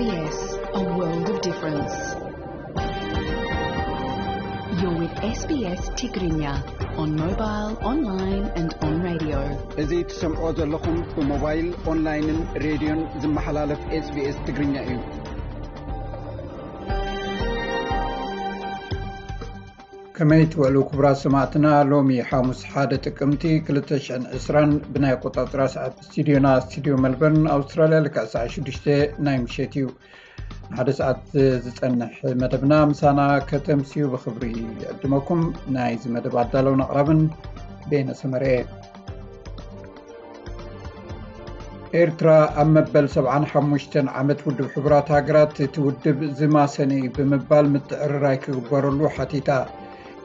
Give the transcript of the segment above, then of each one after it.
Yes, a world of difference. You're with S B S Tigrinya on mobile, online and on radio. እዚ ትሰምዖ ዘለኹም ብሞባይል፣ ኦንላይንን ሬድዮን ዝመሓላለፍ SBS ትግርኛ እዩ። ከመይ ትውዕሉ ክቡራት ሰማዕትና? ሎሚ ሓሙስ ሓደ ጥቅምቲ ክልተ ሽሕን ዕስራን ብናይ ኣቆጻጽራ ሰዓት ስቱዲዮና፣ ስቱዲዮ መልበርን ኣውስትራልያ፣ ልክዕ ሰዓት ሽዱሽተ ናይ ምሸት እዩ። ንሓደ ሰዓት ዝጸንሕ መደብና ምሳና ከተምስዩ ብኽብሪ ይዕድመኩም። ናይዚ መደብ ኣዳለውን ኣቕራብን ቤነ ሰመረ። ኤርትራ ኣብ መበል ሰብዓን ሓሙሽተን ዓመት ውድብ ሕቡራት ሃገራት፣ እቲ ውድብ ዝማሰነ እዩ ብምባል ምትዕርራይ ክግበረሉ ሓቲታ።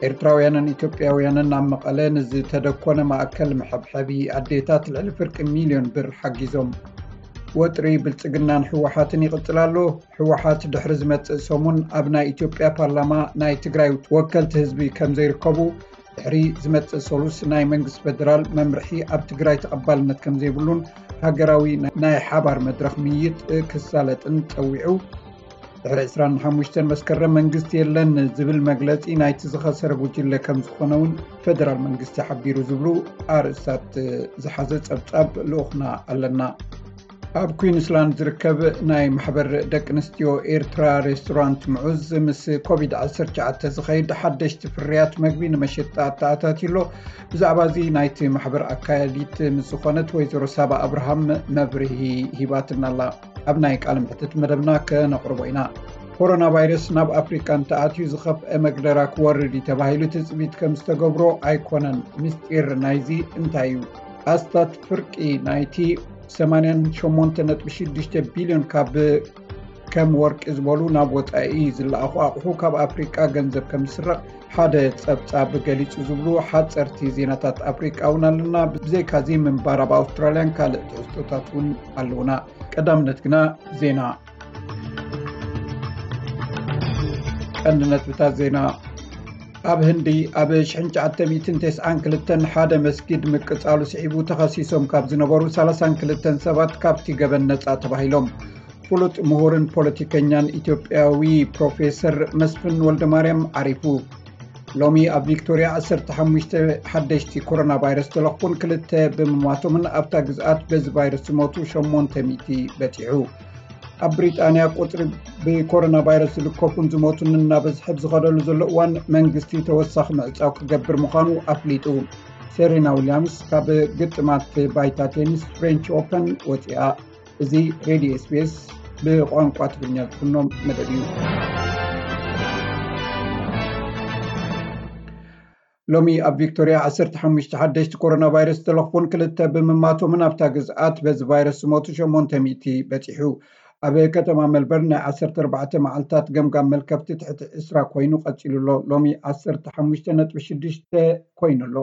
ኤርትራውያንን ኢትዮጵያውያንን ኣብ መቐለ ንዝተደኮነ ማእከል መሐብሐቢ ኣዴታት ልዕሊ ፍርቂ ሚልዮን ብር ሓጊዞም። ወጥሪ ብልጽግናን ህወሓትን ይቕጽል ኣሎ። ህወሓት ድሕሪ ዝመጽእ ሰሙን ኣብ ናይ ኢትዮጵያ ፓርላማ ናይ ትግራይ ወከልቲ ህዝቢ ከም ዘይርከቡ፣ ድሕሪ ዝመጽእ ሰሉስ ናይ መንግስቲ ፌደራል መምርሒ ኣብ ትግራይ ተቐባልነት ከም ዘይብሉን ሃገራዊ ናይ ሓባር መድረኽ ምይይጥ ክሳለጥን ጸዊዑ። ድሕሪ ዕስራን ሓሙሽተን መስከረም መንግስቲ የለን ዝብል መግለጺ ናይቲ ዝኸሰረ ጉጅለ ከም ዝኾነ እውን ፌደራል መንግስቲ ሓቢሩ ዝብሉ ኣርእስታት ዝሓዘ ጸብጻብ ልኡኽና ኣለና። ኣብ ኩዊንስላንድ ዝርከብ ናይ ማሕበር ደቂ ኣንስትዮ ኤርትራ ሬስቶራንት ምዑዝ ምስ ኮቪድ ዓሰርተ ትሽዓተ ዝኸይድ ሓደሽቲ ፍርያት መግቢ ንመሸጣ ኣተኣታትዩ ኣሎ። ብዛዕባ እዚ ናይቲ ማሕበር ኣካያዲት ምስ ዝኾነት ወይዘሮ ሳባ ኣብርሃም መብርሂ ሂባትና ኣላ። ኣብ ናይ ቃለ መሕትት መደብና ከነቕርቦ ኢና። ኮሮና ቫይረስ ናብ ኣፍሪቃ እንተኣትዩ ዝኸፍአ መግደራ ክወርድ እዩ ተባሂሉ ትጽቢት ከም ዝተገብሮ ኣይኮነን። ምስጢር ናይዚ እንታይ እዩ? ኣስታት ፍርቂ ናይቲ ሰማንያን ሸሞንተ ነጥቢ ሽዱሽተ ቢልዮን ካብ ከም ወርቂ ዝበሉ ናብ ወጻኢ ዝለኣኹ ኣቑሑ ካብ ኣፍሪቃ ገንዘብ ከም ዝስረቕ ሓደ ጸብጻብ ገሊጹ ዝብሉ ሓጸርቲ ዜናታት ኣፍሪቃ እውን ኣለና። ብዘይካዚ ምንባር ኣብ ኣውስትራልያን ካልእ ትሕዝቶታት እውን ኣለውና። ቀዳምነት ግና ዜና። ቀንዲ ነጥብታት ዜና። ኣብ ህንዲ ኣብ ሽሕን ትሽዓተ ሚእትን ተስዓን ክልተን ሓደ መስጊድ ምቅጻሉ ስዒቡ ተኸሲሶም ካብ ዝነበሩ ሰላሳን ክልተን ሰባት ካብቲ ገበን ነጻ ተባሂሎም። ፍሉጥ ምሁርን ፖለቲከኛን ኢትዮጵያዊ ፕሮፌሰር መስፍን ወልደማርያም ዓሪፉ። ሎሚ ኣብ ቪክቶርያ ዓሰርተ ሓሙሽተ ሓደሽቲ ኮሮና ቫይረስ ተለኽፉን ክልተ ብምማቶምን ኣብታ ግዝኣት በዚ ቫይረስ ዝሞቱ ሸሞንተ ሚእቲ በጺሑ። ኣብ ብሪጣንያ ቁጽሪ ብኮሮና ቫይረስ ዝልከፉን ዝሞቱን እናበዝሐ ብዝኸደሉ ዘሎ እዋን መንግስቲ ተወሳኺ ምዕጻው ክገብር ምዃኑ ኣፍሊጡ። ሴሬና ዊልያምስ ካብ ግጥማት ባይታ ቴኒስ ፍሬንች ኦፐን ወጺኣ። እዚ ሬድዮ SBS ብቋንቋ ትግርኛ ዝፍኖ መደብ እዩ። ሎሚ ኣብ ቪክቶርያ ዓሰርተ ሓሙሽተ ሓደሽቲ ኮሮና ቫይረስ ዝተለኽፉን ክልተ ብምማቶምን ኣብታ ግዝኣት በዚ ቫይረስ ዝሞቱ ሸሞንተ ሚእቲ በጺሑ። ኣብ ከተማ ሜልበርን ናይ ዓሰርተ ኣርባዕተ መዓልታት ገምጋም መልከፍቲ ትሕቲ ዕስራ ኮይኑ ቀጺሉ ኣሎ። ሎሚ ዓሰርተ ሓሙሽተ ነጥቢ ሽዱሽተ ኮይኑ ኣሎ።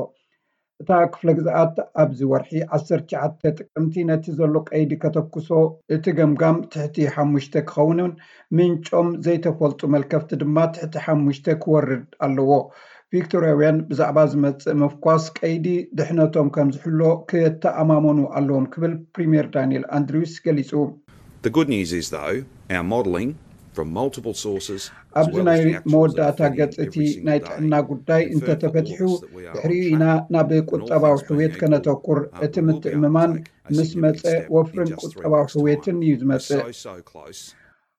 እታ ክፍለ ግዝኣት ኣብዚ ወርሒ ዓሰርተ ትሽዓተ ጥቅምቲ ነቲ ዘሎ ቀይዲ ከተኩሶ፣ እቲ ገምጋም ትሕቲ ሓሙሽተ ክኸውንን ምንጮም ዘይተፈልጡ መልከፍቲ ድማ ትሕቲ ሓሙሽተ ክወርድ ኣለዎ። ቪክቶርያውያን ብዛዕባ ዝመጽእ ምፍኳስ ቀይዲ ድሕነቶም ከም ዝሕሎ ክተኣማመኑ ኣለዎም ክብል ፕሪምየር ዳንኤል ኣንድሪውስ ገሊጹ። The good news is, though, our modelling from multiple sources, ኣብዚ ናይ መወዳእታ ገጽ እቲ ናይ ጥዕና ጉዳይ እንተተፈቲሑ፣ ድሕሪኡ ኢና ናብ ቁጠባዊ ሕውየት ከነተኩር። እቲ ምትእምማን ምስ መጸ፣ ወፍርን ቁጠባዊ ሕውየትን እዩ ዝመጽእ።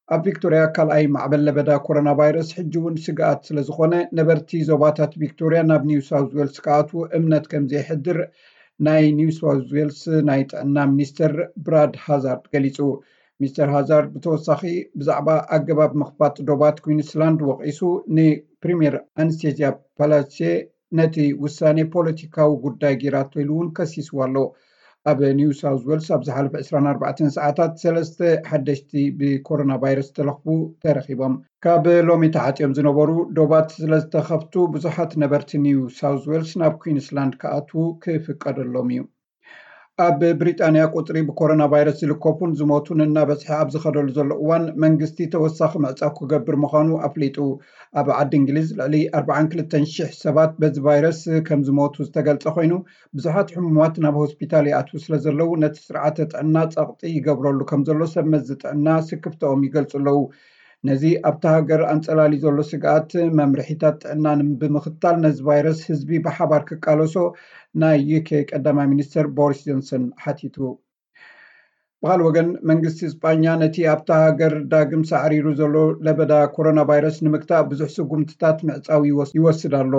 ኣብ ቪክቶርያ ካልኣይ ማዕበል ለበዳ ኮሮና ቫይረስ ሕጂ እውን ስግኣት ስለ ዝኾነ፣ ነበርቲ ዞባታት ቪክቶርያ ናብ ኒው ሳውዝ ዌልስ ክኣትዉ እምነት ከም ዘየሕድር ናይ ኒው ሳውዝ ዌልስ ናይ ጥዕና ሚኒስተር ብራድ ሃዛርድ ገሊጹ። ሚስተር ሃዛርድ ብተወሳኺ ብዛዕባ ኣገባብ ምኽፋት ዶባት ኩዊንስላንድ ወቒሱ፣ ንፕሪምየር ኣንስቴዝያ ፓላቼ ነቲ ውሳኔ ፖለቲካዊ ጉዳይ ጌራቶ ኢሉ እውን ከሲስዋ ኣሎ። ኣብ ኒው ሳውዝ ዌልስ ኣብ ዝሓለፈ ዕስራን ኣርባዕተን ሰዓታት ሰለስተ ሓደሽቲ ብኮሮና ቫይረስ ዝተለኽፉ ተረኺቦም። ካብ ሎሚ ተዓጽዮም ዝነበሩ ዶባት ስለ ዝተኸፍቱ፣ ብዙሓት ነበርቲ ኒው ሳውዝ ዌልስ ናብ ኩዊንስላንድ ክኣትዉ ክፍቀደሎም እዩ። ኣብ ብሪጣንያ ቁፅሪ ብኮሮና ቫይረስ ዝልከፉን ዝሞቱን እናበዝሐ ኣብ ዝኸደሉ ዘሎ እዋን መንግስቲ ተወሳኺ ምዕፃው ክገብር ምዃኑ ኣፍሊጡ። ኣብ ዓዲ እንግሊዝ ልዕሊ ኣርባዓን ክልተን ሽሕ ሰባት በዚ ቫይረስ ከም ዝሞቱ ዝተገልጸ ኮይኑ፣ ብዙሓት ሕሙማት ናብ ሆስፒታል ይኣትዉ ስለ ዘለዉ ነቲ ስርዓተ ጥዕና ጸቕጢ ይገብረሉ ከም ዘሎ ሰብ መዚ ጥዕና ስክፍተኦም ይገልጹ ኣለዉ። ነዚ ኣብታ ሃገር ኣንጸላልዩ ዘሎ ስግኣት መምርሒታት ጥዕና ንም- ብምኽታል ነዚ ቫይረስ ህዝቢ ብሓባር ክቃለሶ ናይ ዩ ኬ ቀዳማይ ሚኒስተር ቦሪስ ጆንሰን ሓቲቱ። ብኻልእ ወገን መንግስቲ እስጳኛ ነቲ ኣብታ ሃገር ዳግም ሳዕሪሩ ዘሎ ለበዳ ኮሮና ቫይረስ ንምግታእ ብዙሕ ስጉምትታት ምዕጻው ይወስ- ይወስድ ኣሎ።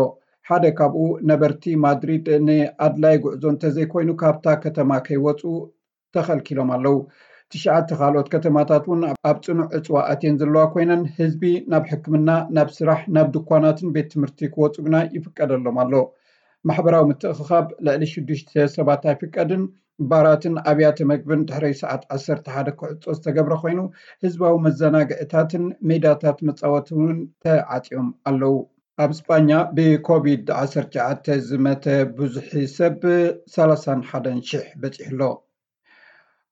ሓደ ካብኡ ነበርቲ ማድሪድ ንኣድላይ ጉዕዞ እንተዘይኮይኑ ካብታ ከተማ ከይወፁ ተኸልኪሎም ኣለዉ። ትሽዓተ ካልኦት ከተማታት እውን ኣብ ፅኑዕ ዕፅዋ ኣትየን ዘለዋ ኮይነን ህዝቢ ናብ ሕክምና፣ ናብ ስራሕ፣ ናብ ድኳናትን ቤት ትምህርቲ ክወፁ ግና ይፍቀደሎም ኣሎ። ማሕበራዊ ምትእኽኻብ ልዕሊ ሽዱሽተ ሰባት ኣይፍቀድን። ባራትን ኣብያተ መግብን ድሕሪ ሰዓት ዓሰርተ ሓደ ክዕጾ ዝተገብረ ኮይኑ ህዝባዊ መዘናግዕታትን ሜዳታት መጻወቲ እውን ተዓጽዮም ኣለዉ። ኣብ ስጳኛ ብኮቪድ ዓሰርተ ትሽዓተ ዝመተ ብዙሒ ሰብ ሰላሳን ሓደን ሽሕ በጺሑ ኣሎ።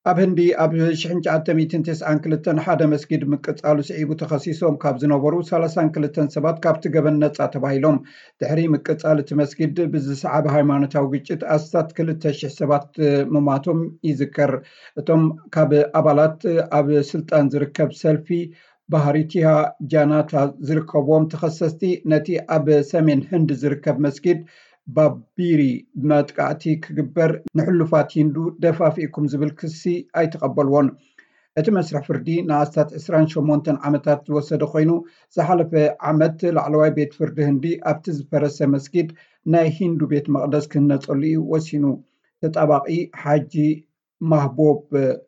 ኣብ ህንዲ ኣብ ሽሕን ትሽዓተ ሚእትን ተስዓን ክልተን ሓደ መስጊድ ምቅጻሉ ስዒቡ ተኸሲሶም ካብ ዝነበሩ ሰላሳን ክልተን ሰባት ካብቲ ገበን ነጻ ተባሂሎም። ድሕሪ ምቅጻል እቲ መስጊድ ብዝሰዓበ ሃይማኖታዊ ግጭት ኣስታት ክልተ ሽሕ ሰባት ምማቶም ይዝከር። እቶም ካብ ኣባላት ኣብ ስልጣን ዝርከብ ሰልፊ ባህሪቲሃ ጃናታ ዝርከብዎም ተኸሰስቲ ነቲ ኣብ ሰሜን ህንድ ዝርከብ መስጊድ ባቢሪ መጥቃዕቲ ክግበር ንሕሉፋት ሂንዱ ደፋፊእኩም ዝብል ክሲ ኣይተቐበልዎን። እቲ መስርሕ ፍርዲ ንኣስታት ዕስራን ሸሞንተን ዓመታት ዝወሰደ ኮይኑ ዝሓለፈ ዓመት ላዕለዋይ ቤት ፍርዲ ህንዲ ኣብቲ ዝፈረሰ መስጊድ ናይ ሂንዱ ቤት መቕደስ ክህነጸሉ እዩ ወሲኑ። ተጣባቒ ሓጂ ማህቦብ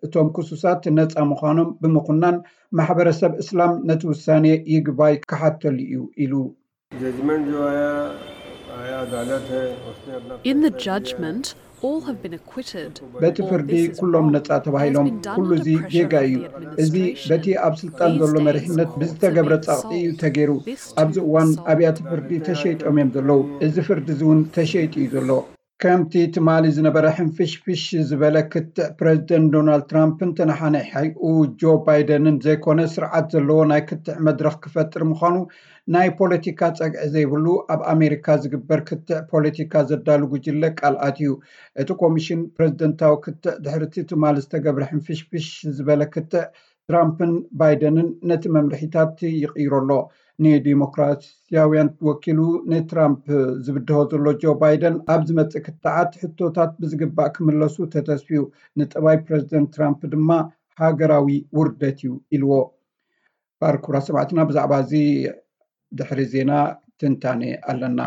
እቶም ክሱሳት ነፃ ምዃኖም ብምኹናን ማሕበረሰብ እስላም ነቲ ውሳኔ ይግባይ ክሓተሉ እዩ ኢሉ። जजमेंट जो आया आया अदालत है उसने अपना In the judgment, all have been acquitted. በቲ ፍርዲ ኩሎም ነፃ ተባሂሎም ኩሉ እዚ ጌጋ እዩ። እዚ በቲ ኣብ ስልጣን ዘሎ መሪሕነት ብዝተገብረ ፃቕጢ እዩ ተገይሩ። ኣብዚ እዋን ኣብያተ ፍርዲ ተሸይጦም እዮም ዘለዉ። እዚ ፍርዲ እዚ እውን ተሸይጡ እዩ ዘሎ። ከምቲ ትማሊ ዝነበረ ሕንፍሽፍሽ ዝበለ ክትዕ ፕረዚደንት ዶናልድ ትራምፕን ተነሓናሒኡ ጆ ባይደንን ዘይኮነ ስርዓት ዘለዎ ናይ ክትዕ መድረኽ ክፈጥር ምዃኑ ናይ ፖለቲካ ጸግዒ ዘይብሉ ኣብ ኣሜሪካ ዝግበር ክትዕ ፖለቲካ ዘዳሉ ጉጅለ ቃል ኣትዩ። እቲ ኮሚሽን ፕረዚደንታዊ ክትዕ ድሕሪ እቲ ትማሊ ዝተገብረ ሕንፍሽፍሽ ዝበለ ክትዕ ትራምፕን ባይደንን ነቲ መምርሒታት ይቕይሮ ኣሎ። ንዲሞክራሲያውያን ወኪሉ ንትራምፕ ዝብድሆ ዘሎ ጆ ባይደን ኣብ ዝመጽእ ክትዓት ሕቶታት ብዝግባእ ክምለሱ ተተስፍዩ፣ ንጠባይ ፕረዚደንት ትራምፕ ድማ ሃገራዊ ውርደት እዩ ኢልዎ። ባርኩራ ሰማዕትና ብዛዕባ እዚ ድሕሪ ዜና ትንታኔ ኣለና።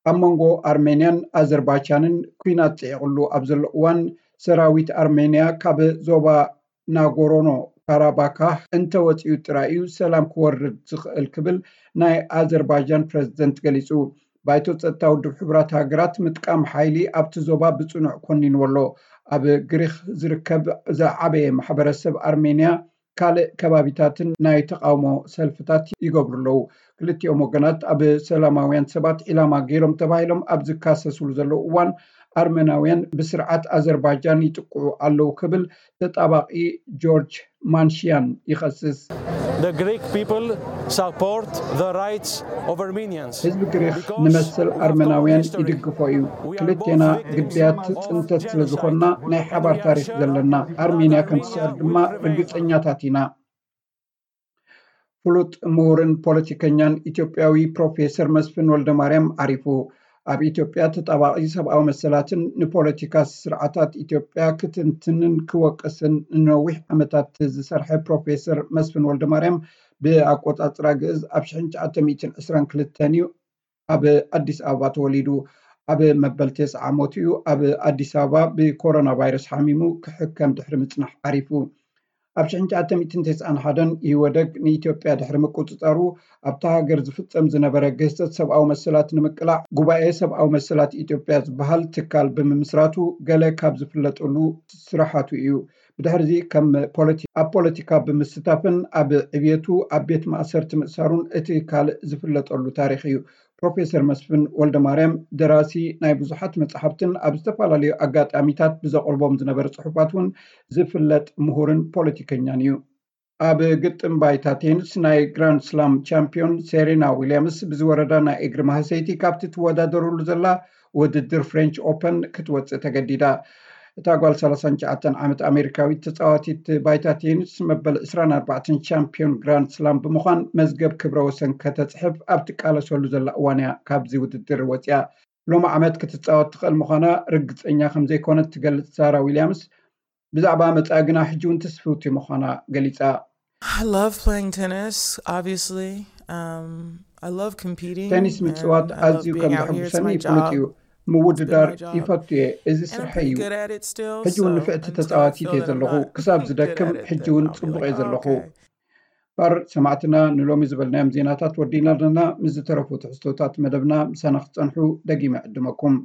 ኣብ መንጎ ኣርሜንያን ኣዘርባይጃንን ኲናት ጽዒቕሉ ኣብ ዘሎ እዋን ሰራዊት ኣርሜንያ ካብ ዞባ ናጎሮኖ ካራባካ እንተወፂኡ ጥራይ እዩ ሰላም ክወርድ ዝኽእል ክብል ናይ ኣዘርባይጃን ፕረዚደንት ገሊፁ። ባይቶ ፀጥታ ውድብ ሕቡራት ሃገራት ምጥቃም ሓይሊ ኣብቲ ዞባ ብፅኑዕ ኮኒንዎ ኣሎ። ኣብ ግሪክ ዝርከብ ዝዓበየ ማሕበረሰብ ኣርሜንያ ካልእ ከባቢታትን ናይ ተቓውሞ ሰልፍታት ይገብሩ ኣለዉ። ክልቲኦም ወገናት ኣብ ሰላማውያን ሰባት ዒላማ ገይሮም ተባሂሎም ኣብ ዝካሰስሉ ዘለዉ እዋን ኣርመናውያን ብስርዓት ኣዘርባይጃን ይጥቅዑ ኣለዉ ክብል ተጣባቒ ጆርጅ ማንሽያን ይኸስስ። The Greek people support the rights of Armenians. ህዝቢ ግሪክ ንመሰል ኣርመናውያን ይድግፎ እዩ። ክልቴና ግዳያት ፅንተት ስለ ዝኾንና ናይ ሓባር ታሪክ ዘለና ኣርሜንያ ከም ትስዕር ድማ ርግፀኛታት ኢና። ፍሉጥ ምሁርን ፖለቲከኛን ኢትዮጵያዊ ፕሮፌሰር መስፍን ወልደማርያም ዓሪፉ። ኣብ ኢትዮጵያ ተጣባቒ ሰብኣዊ መሰላትን ንፖለቲካ ስርዓታት ኢትዮጵያ ክትንትንን ክወቅስን ንነዊሕ ዓመታት ዝሰርሐ ፕሮፌሰር መስፍን ወልደማርያም ብኣቆጻጽራ ግእዝ ኣብ ሽሕን ትሽዓተ ሚእትን ዕስራን ክልተን እዩ ኣብ ኣዲስ ኣበባ ተወሊዱ። ኣብ መበል ተስዓ ዓመቱ እዩ ኣብ ኣዲስ ኣበባ ብኮሮና ቫይረስ ሓሚሙ ክሕከም ድሕሪ ምጽናሕ ዓሪፉ። ኣብ ሽሕን ትሽዓተ ሚእትን ተስዓን ሓደን ኢህወደግ ንኢትዮጵያ ድሕሪ ምቁጽጻሩ ኣብታ ሃገር ዝፍጸም ዝነበረ ግህሰት ሰብኣዊ መሰላት ንምቅላዕ ጉባኤ ሰብኣዊ መሰላት ኢትዮጵያ ዝበሃል ትካል ብምምስራቱ ገለ ካብ ዝፍለጠሉ ስራሓቱ እዩ። ብድሕርዚ ከም ፖለቲ- ኣብ ፖለቲካ ብምስታፍን ኣብ ዕብየቱ ኣብ ቤት ማእሰርቲ ምእሳሩን እቲ ካልእ ዝፍለጠሉ ታሪኽ እዩ። ፕሮፌሰር መስፍን ወልደማርያም ደራሲ ናይ ብዙሓት መጽሓፍትን ኣብ ዝተፈላለዩ ኣጋጣሚታት ብዘቕርቦም ዝነበረ ጽሑፋት እውን ዝፍለጥ ምሁርን ፖለቲከኛን እዩ። ኣብ ግጥም ባይታ ቴኒስ ናይ ግራንድ ስላም ቻምፒዮን ሴሬና ዊልያምስ ብዝወረዳ ናይ እግሪ ማህሰይቲ ካብቲ ትወዳደረሉ ዘላ ውድድር ፍሬንች ኦፐን ክትወፅእ ተገዲዳ። እታ ጓል ሰላሳን ትሽዓተን ዓመት ኣሜሪካዊት ተፃዋቲት ባይታ ቴኒስ መበል ዕስራን ኣርባዕተን ቻምፒዮን ግራንድ ስላም ብምዃን መዝገብ ክብረ ወሰን ከተፅሕፍ ኣብ ትቃለሰሉ ዘላ እዋን እያ ካብዚ ውድድር ወፂኣ። ሎሚ ዓመት ክትፃወት ትኽእል ምዃና ርግፀኛ ከም ዘይኮነት ትገልፅ ሳራ ዊልያምስ፣ ብዛዕባ መጻኢ ግና ሕጂ እውን ትስፍውቲ ምዃና ገሊጻ። I love playing tennis, obviously. Um, I love competing. ቴኒስ ምጽዋት ኣዝዩ ከም ዘሐጉሰኒ ይፍሉጥ እዩ። ምውድዳር ይፈቱ እየ። እዚ ስርሐይ እዩ። ሕጂ እውን ንፍዕቲ ተጻዋቲት እየ ዘለኹ። ክሳብ ዝደክም ሕጂ እውን ጽቡቕ እየ ዘለኹ። ባር ሰማዕትና፣ ንሎሚ ዝበልናዮም ዜናታት ወዲና ኣለና። ምስ ዝተረፉ ትሕዝቶታት መደብና ምሳና ክትጸንሑ ደጊመ ዕድመኩም።